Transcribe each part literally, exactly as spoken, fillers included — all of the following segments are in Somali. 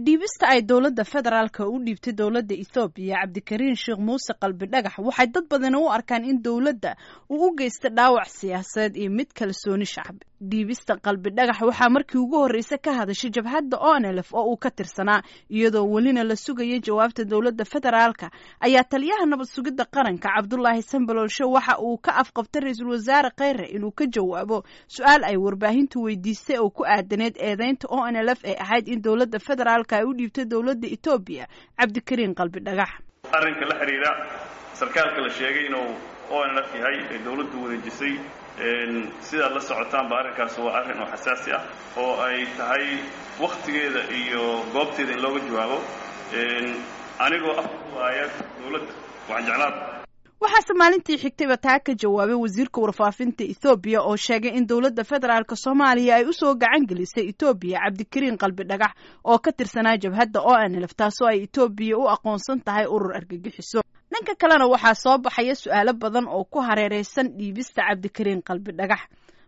Dhiibista ay dowladda federaalka u dhiibtay dowladda Ethoobiya Cabdikariin Sheekh Muuse Qalbi Dhagax waxay dad badani u arkaan in dowladda uu u geysta dhaawac siyaasadeed iyo mid kalsooni shacbi. Dhiibista Qalbi Dhagax waxaa markii ugu horreysay ka hadashay jabhadda O N L F oo uu ka tirsanaa, iyadoo welina la sugaya jawaabta dowladda federaalka ayaa taliyaha nabad sugidda qaranka, Cabdulaahi Sambaloolshe, waxa uu ka afqabtay ra-iisul wasaare Kheyre inuu ka jawaabo su-aal ay warbaahintu weydiistay oo ku aadaneyd eedeynta O N L F ee ahayd in dowladda federaalka ay u dhiibtay dowladda Etoobiya Cabdikariin Qalbi Dhagax. Arrinka la xidhiidha sarkaalka la sheegay inuu O N L F yahay ee dowladdu wareejisay, sidaad la socotaanba arrinkaas waa arrin oo xasaasi ah oo ay tahay wakhtigeeda iyo goobteeda in looga jawaabo. Anigoo afwaaya dowladda waxaan jeclaa Waxaase maalintii xigtayba taa ka jawaabay wasiirka warfaafinta Ethoobiya oo sheegay in dowladda federaalka Soomaaliya ay usoo gacan gelisay Etoobiya Cabdikariin Qalbi Dhagax oo ka tirsanaa jabhadda O N L F, taasoo ay Etoobiya u aqoonsan tahay urur argagixiso. Dhanka kalena, waxaa soo baxaya su-aalo badan oo ku hareereysan dhiibista Cabdikariin Qalbi Dhagax.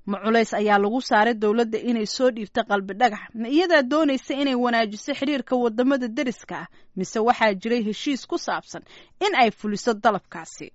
Ma culays ayaa lagu saaray dowladda inay soo dhiibto Qalbi Dhagax? Ma iyadaa doonaysa inay wanaajiso xiriirka wadamada deriska ah, mise waxaa jiray heshiis ku saabsan in ay fuliso dalabkaasi?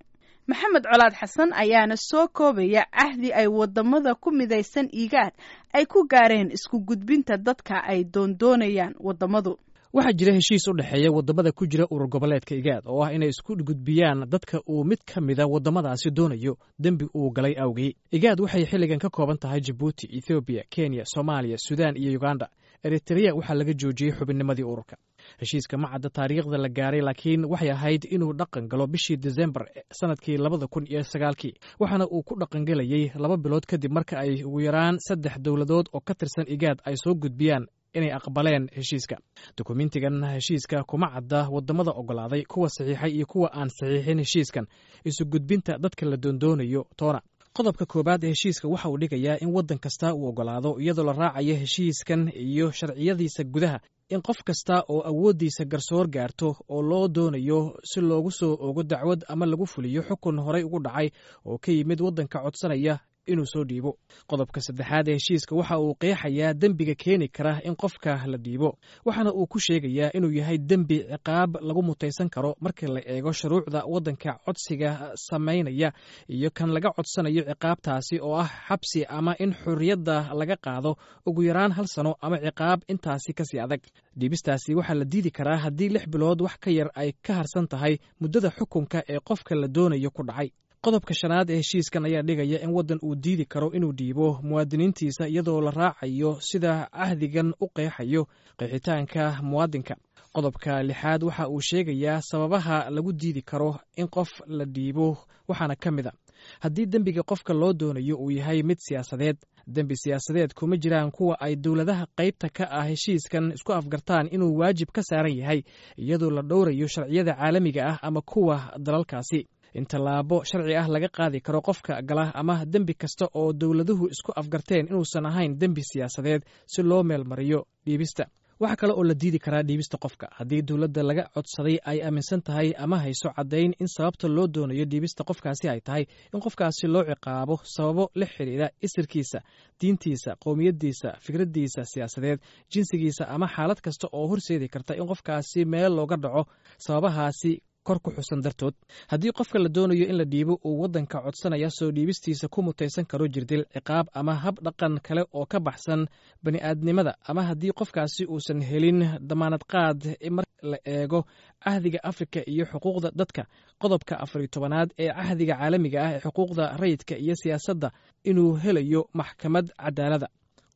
Maxamed Colaad Xasan ayaana soo koobaya cahdi ay wadamada ku midaysan IGAAD ay ku gaareen isku gudbinta dadka ay doondoonayaan wadamadu. Waxaa jira heshiis u dhexeeya waddamada ku jira urur goboleedka IGAAD oo ah inay isku gudbiyaan dadka uu mid ka mida waddamadaasi doonayo dembi uu galay awgii. IGAAD waxay xilligan ka kooban tahay Jabuuti, Ethoobiya, Kenya, Soomaaliya, Suudaan iyo Uganda. Eritrea waxaa laga joojiyey xubinnimadii ururka. Heshiiska ma cadda taariikhda la gaaray, laakiin waxay ahayd inuu dhaqan galo bishii Desembar sanadkii labada kun iyo sagaalkii, waxaana uu ku dhaqangelayey laba bilood kadib marka ay ugu yaraan saddex dowladood oo ka tirsan IGAAD ay soo gudbiyaan inay aqbaleen heshiiska. Dukumentigan heshiiska kuma cadda waddamada oggolaaday, kuwa saxiixay iyo kuwa aan saxiixin heshiiskan isu gudbinta dadka la doondoonayo toona. Qodobka koowaad ee heshiiska waxa uu dhigayaa in waddan kasta uu oggolaado, iyadoo la raacayo heshiiskan iyo sharciyadiisa gudaha, in qof kasta oo awooddiisa garsoor gaarto oo loo doonayo si loogu soo ogo dacwad ama lagu fuliyo xukun horay ugu dhacay oo ka yimid waddanka codsanaya inuu soo dhiibo. Qodobka saddexaad ee heshiiska waxa uu qeexayaa dembiga keeni kara in qofka la dhiibo, waxaana uu ku sheegayaa inuu yahay dembi ciqaab lagu mutaysan karo marka la eego shuruucda waddanka codsiga samaynaya iyo kan laga codsanayo, ciqaabtaasi oo ah xabsi ama in xorriyadda laga qaado ugu yaraan hal sano ama ciqaab intaasi kasii adag. Dhiibistaasi waxaa la diidi karaa haddii lix bilood wax ka yar ay ka harsan tahay muddada xukunka ee qofka la doonayo ku dhacay. Qodobka shanaad ee heshiiskan ayaa dhigaya in waddan uu diidi karo inuu dhiibo muwaadiniintiisa iyadoo la raacayo sida cahdigan u qeexayo qeexitaanka muwaadinka. Qodobka lixaad waxa uu sheegayaa sababaha lagu diidi karo in qof la dhiibo, waxaana ka mid a haddii dembiga qofka loo doonayo uu yahay mid siyaasadeed. Dembi siyaasadeed kuma jiraan kuwa ay dowladaha qaybta ka ah heshiiskan isku afgartaan inuu waajib ka saaran yahay, iyadoo la dhowrayo sharciyada caalamiga ah ama kuwa dalalkaasi, in tallaabo sharci ah laga qaadi karo qofka gala, ama dembi kasta oo dowladuhu isku afgarteen inuusan ahayn dembi siyaasadeed si loo meelmariyo dhiibista. Waxaa kale oo la diidi karaa dhiibista qofka haddii dowladda laga codsaday ay aaminsan tahay ama hayso caddayn in sababta loo doonayo dhiibista qofkaasi ay tahay in qofkaasi loo ciqaabo sababo la xidhiidha isirkiisa, diintiisa, qowmiyaddiisa, fikraddiisa siyaasadeed, jinsigiisa ama xaalad kasta oo horseedi karta in qofkaasi meel looga dhaco sababahaasi kor ku xusan dartood. Haddii qofka la doonayo in la dhiibo uu waddanka codsanaya soo dhiibistiisa ku mutaysan karo jirdil, ciqaab ama hab dhaqan kale oo ka baxsan bani'aadnimada, ama haddii qofkaasi uusan helin damaanad qaad mar la eego Cahdiga Afrika iyo xuquuqda dadka, qodobka afariyo tobanaad ee Cahdiga Caalamiga ah ee xuquuqda rayidka iyo siyaasadda, inuu helayo maxkamad cadaalada.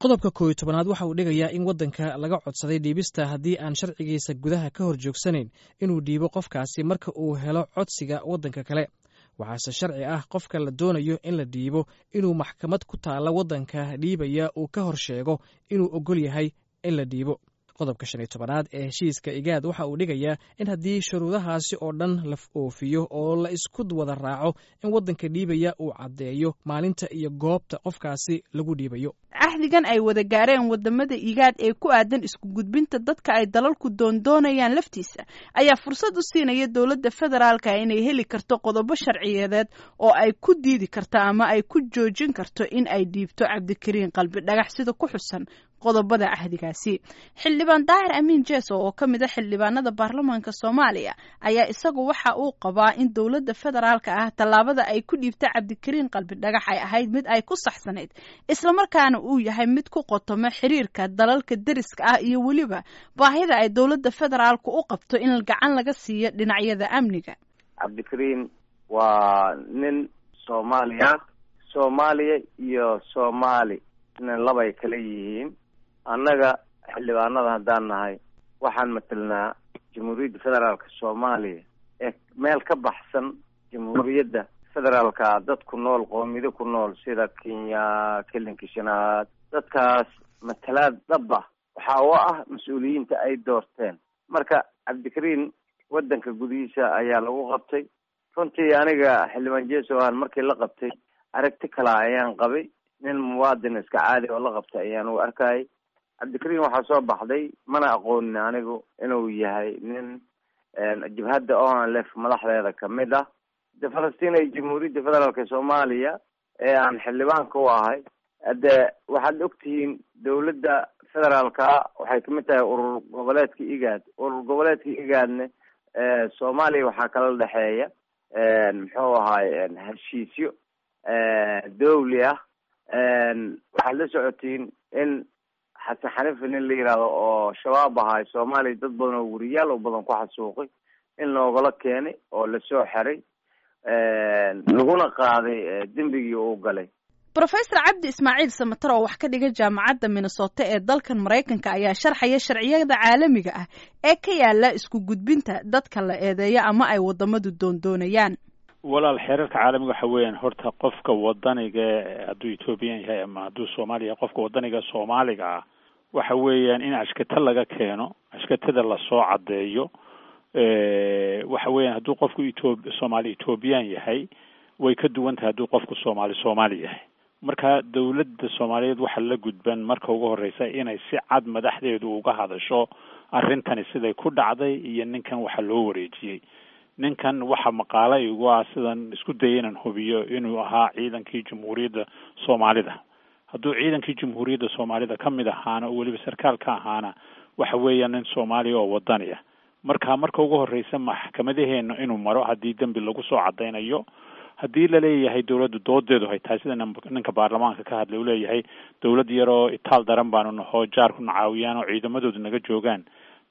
Qodobka kooyo tobanaad waxa uu dhigayaa in waddanka laga codsaday dhiibista, haddii aan sharcigiisa gudaha ka hor joogsanayn, inuu dhiibo qofkaasi marka uu helo codsiga waddanka kale. Waxaase sharci ah qofka la doonayo in la dhiibo inuu maxkamad ku taalla waddanka dhiibaya uu ka hor sheego inuu ogol yahay in la dhiibo. Qodobka shan iyo tobanaad ee heshiiska IGAAD waxa uu dhigayaa in haddii shuruudahaasi oo dhan la oofiyo oo la isku wada raaco, in waddanka dhiibaya uu caddeeyo maalinta iyo goobta qofkaasi lagu dhiibayo. Axdigan ay wada gaareen wadamada IGAAD ee ku aadan isku gudbinta dadka ay dalalku doondoonayaan laftiisa ayaa fursad u siinaya dowladda federaalka inay heli karto qodobo sharciyeedeed oo ay ku diidi karto ama ay ku joojin karto in ay dhiibto Cabdikariin Qalbi Dhagax, sida ku xusan Qodobada axdigaasi, Xildhibaan Daahir Amiin Jeso oo ka mid a xildhibaanada baarlamaanka Soomaaliya ayaa isagu waxa uu qabaa in dowladda federaalka ah tallaabada ay ku dhiibta Cabdikariin Qalbi Dhagax ay ahayd mid ay ku saxsanayd, islamarkaana uu yahay mid ku qotoma xiriirka dalalka deriska ah iyo weliba baahida ay dowladda federaalku u qabto in gacan laga siiyo dhinacyada amniga. Cabdikariin waa nin Soomaaliya, Soomaaliya iyo Soomaali labay kala yihiin. Annaga xildhibaanada haddaan nahay, waxaan matelnaa Jamhuuriyadda Federaalka Soomaaliya ee meel ka baxsan Jamhuuriyadda Federaalka dad ku nool, qoomiyado ku nool sida Kenya, Kelinka Shanaad, dadkaas matalaad dhaba waxaa u ah mas-uuliyiinta ay doorteen. Marka Cabdikariin waddanka gudihiisa ayaa lagu qabtay. Runtii aniga xildhibaan Jeso aan markii la qabtay aragti kala ayaan qabay, nin muwaadin iska caadi oo la qabtay ayaan u arkayay. Cabdikariin waxaa soo baxday, mana aqoonin anigu, inuu yahay nin jabhadda O N L F madaxdeeda kamid ah. De Falastiin ay Jamhuuriyadda Federaalka Soomaaliya ee aan xildhibaanka u ahay, de waxaad ogtihiin dowladda federaalka waxay kamid tahay urur goboleedka IGAD. Urur goboleedka IGADne Soomaaliya waxaa kala dhexeeya, muxuu ahaay, heshiisyo dawli ah. Waxaad la socotiin in Xasan Xanifi, nin la yihahdo oo Shabaab ahaay, Soomaaliya dad badan oo weriyaal oo badan ku xasuuqay, in loogala keenay oo lasoo xeray, laguna qaaday dembigii uu galay. Brofesor Cabdi Ismaaciil Samatar oo wax ka dhiga Jaamacadda Minnesota ee dalkan Maraykanka ayaa sharxaya sharciyada caalamiga ah ee ka yaala isku gudbinta dadka la eedeeyo ama ay wadamadu doondoonayaan. Walaal, xeerarka caalamiga waxa weeyaan, horta qofka wadaniga, hadduu Ethoobiyan yahay ama hadduu Soomaaliya, qofka wadaniga Soomaaliga ah waxa weeyaan in ashkata laga keeno, ashkatada lasoo caddeeyo. Waxa weeyaan hadduu qofku Etho Soomaali Ethoobiyan yahay way ka duwan tahay hadduu qofku Soomaali Soomaali yahay. Marka dowladda Soomaaliyeed waxaa la gudban marka ugu horeysa inay si cad madaxdeedu uga hadasho arrintani siday ku dhacday iyo ninkan waxa loo wareejiyey. Ninkan waxa maqaala igu ah, sidan isku dayay inaan hubiyo, inuu ahaa ciidankii Jamhuuriyadda Soomaalida. Hadduu ciidankii Jamhuuriyadda Soomaalida ka mid ahaana oo weliba sarkaal ka ahaana, waxa weeyaan nin Soomaaliya oo wadani ah. Marka marka ugu horeysa maxkamadaheena inuu maro haddii dembi lagu soo cadaynayo. Haddii laleeyahay dowladdu doodeedu hay tahay sida ninka baarlamaanka ka hadlay uu leeyahay, dowlad yaroo itaal daran baanu nahoo, jaarku na caawiyaan oo ciidamadoodu naga joogaan,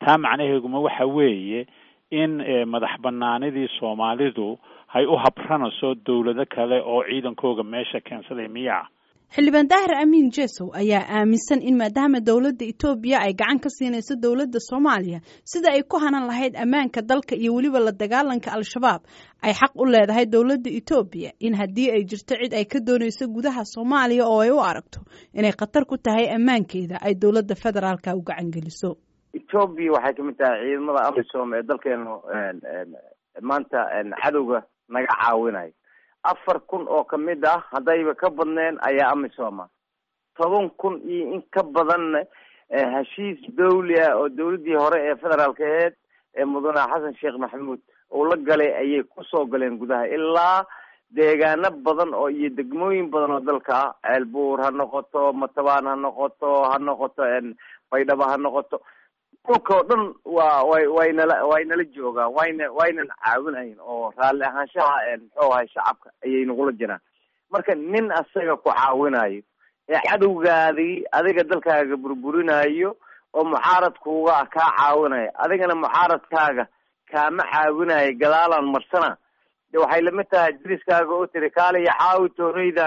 taa macnaheeguma waxa weeye in madax banaanidii Soomaalidu hay u habranayso dowlado kale oo ciidankooga meesha keensaday miyaa? Xildhibaan Daahir Amiin Jesow ayaa aaminsan in maadaama dowladda Etoobiya ay gacan ka siinayso dowladda Soomaaliya sida ay ku hanan lahayd ammaanka dalka iyo weliba la dagaalanka Al-Shabaab, ay xaq u leedahay dowladda Etoobiya in haddii ay jirto cid ay ka doonayso gudaha Soomaaliya oo ay u aragto inay khatar ku tahay ammaankeeda, ay dowladda federaalka u gacan geliso. Etoobiya waxay kamid tahay ciidamada AMISOM ee dalkeenu maanta cadowga naga caawinayo. Afar kun oo kamid ah, haddayba ka badneen, ayaa AMISOMA. Toban kun iyo in ka badanna heshiis dawli ah oo dawladdii hore ee federaalka aheyd ee mudane Xasan Sheekh Maxamuud uu la galay ayay kusoo galeen gudaha ilaa deegaano badan oo iyo degmooyin badan oo dalka ah, Ceelbuur ha noqoto, Matabaan ha noqoto, ha noqoto Baydhaba ha noqoto, dhulka oo dhan waa way waynala waynala joogaan, wayna waynan caawinayn oo raalli ahaanshaha, muxuu ahay, shacabka ayay nagula jiraan. Marka nin asaga ku caawinayo ee cadowgaadii adiga dalkaaga burburinayo oo mucaaradkuuga kaa caawinayo, adigana mucaaradkaaga kaama caawinayo, gadaalaan marsana, de waxay lamid tahay diriskaaga oo tiri kaaliya caawi tooreyda,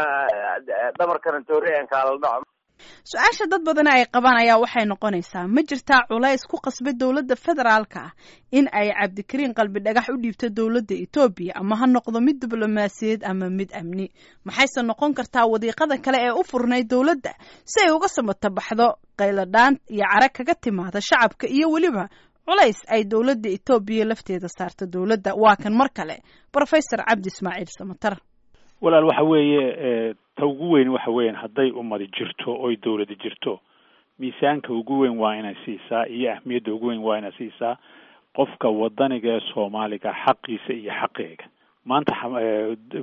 dhabarkana toorey aan kaala dhaco. Su-aasha dad badan ay qabaan ayaa waxay noqonaysaa: ma jirtaa culays ku qasbay dowladda federaalka ah in ay Cabdikariin Qalbi Dhagax u dhiibto dowladda Etoobiya, ama ha noqdo mid diblomaasiyadeed ama mid amni? Maxayse noqon kartaa wadiiqada kale ee u furnayd dowladda si ay uga samata baxdo qayladhaan iyo cara kaga timaada shacabka iyo weliba culays ay dowladda Etoobiya lafteeda saarto dowladda? Waa kan mar kale Brofesor Cabdi Ismaaciil Samatar. Walaal, waxa weeye ta ugu weyn waxa weeyaan hadday ummadi jirto oy dowladi jirto, miisaanka ugu weyn waa inay siisaa iyo ahmiyadda ugu weyn waa inay siisaa qofka wadaniga ee Soomaaliga xaqiisa iyo xaqeega. Maanta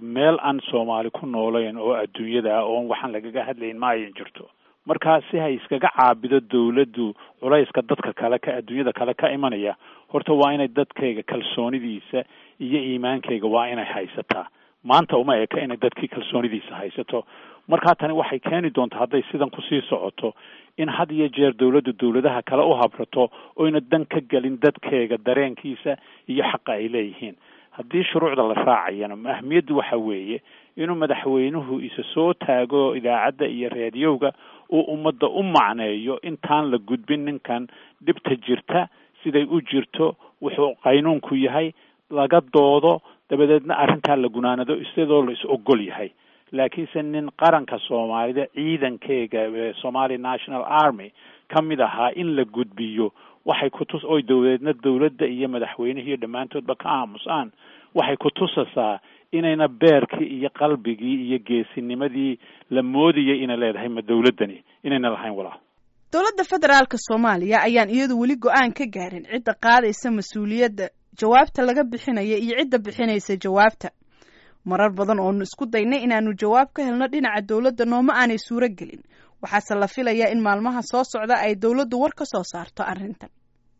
meel aan Soomaali ku noolayn oo adduunyada ah oon waxaan lagaga hadlayn ma ayan jirto. Markaa si hay iskaga caabido dawladdu culayska dadka kale ka adduunyada kale ka imanaya, horta waa inay dadkayga kalsoonidiisa iyo iimaankayga waa inay haysataa. Maanta uma eka inay dadkii kalsoonidiisa haysato. Markaa tani waxay keeni doontaa, hadday sidan kusii socoto, in had iyo jeer dawladdu dawladaha kale u habrato oyna dan ka gelin dadkeega dareenkiisa iyo xaqa ay leeyihiin. Haddii shuruucda la raacayana, ahmiyaddu waxa weeye inuu madaxweynuhu isa soo taago idaacadda iyo raadiyowga, uu ummadda u macneeyo intaan la gudbin ninkan dhibta jirta siday u jirto, wuxuu qaynuunku yahay, laga doodo, dabadeedna arrintaa la gunaanado isadoo la is ogol yahay. Laakiinse nin qaranka Soomaalida ciidankeega Somali National Army ka mid ahaa in la gudbiyo waxay kutus oy dowladeedna dowladda iyo madaxweynihii dhammaantoodba ka aamusaan, waxay kutusasaa inayna beerkii iyo qalbigii iyo geesinimadii la moodayay inay leedahay ma dowladdani inayna lahayn walaal. Dowladda federaalka Soomaaliya ayaan iyadu weli go-aan ka gaarin cidda qaadaysa mas-uuliyadda jawaabta laga bixinaya iyo cidda bixinaysa jawaabta. Marar badan oonu isku daynay inaanu jawaab ka helno dhinaca dowladda nooma aanay suuro gelin, waxaase la filayaa in maalmaha soo socda ay dowladdu war ka soo saarto arrintan.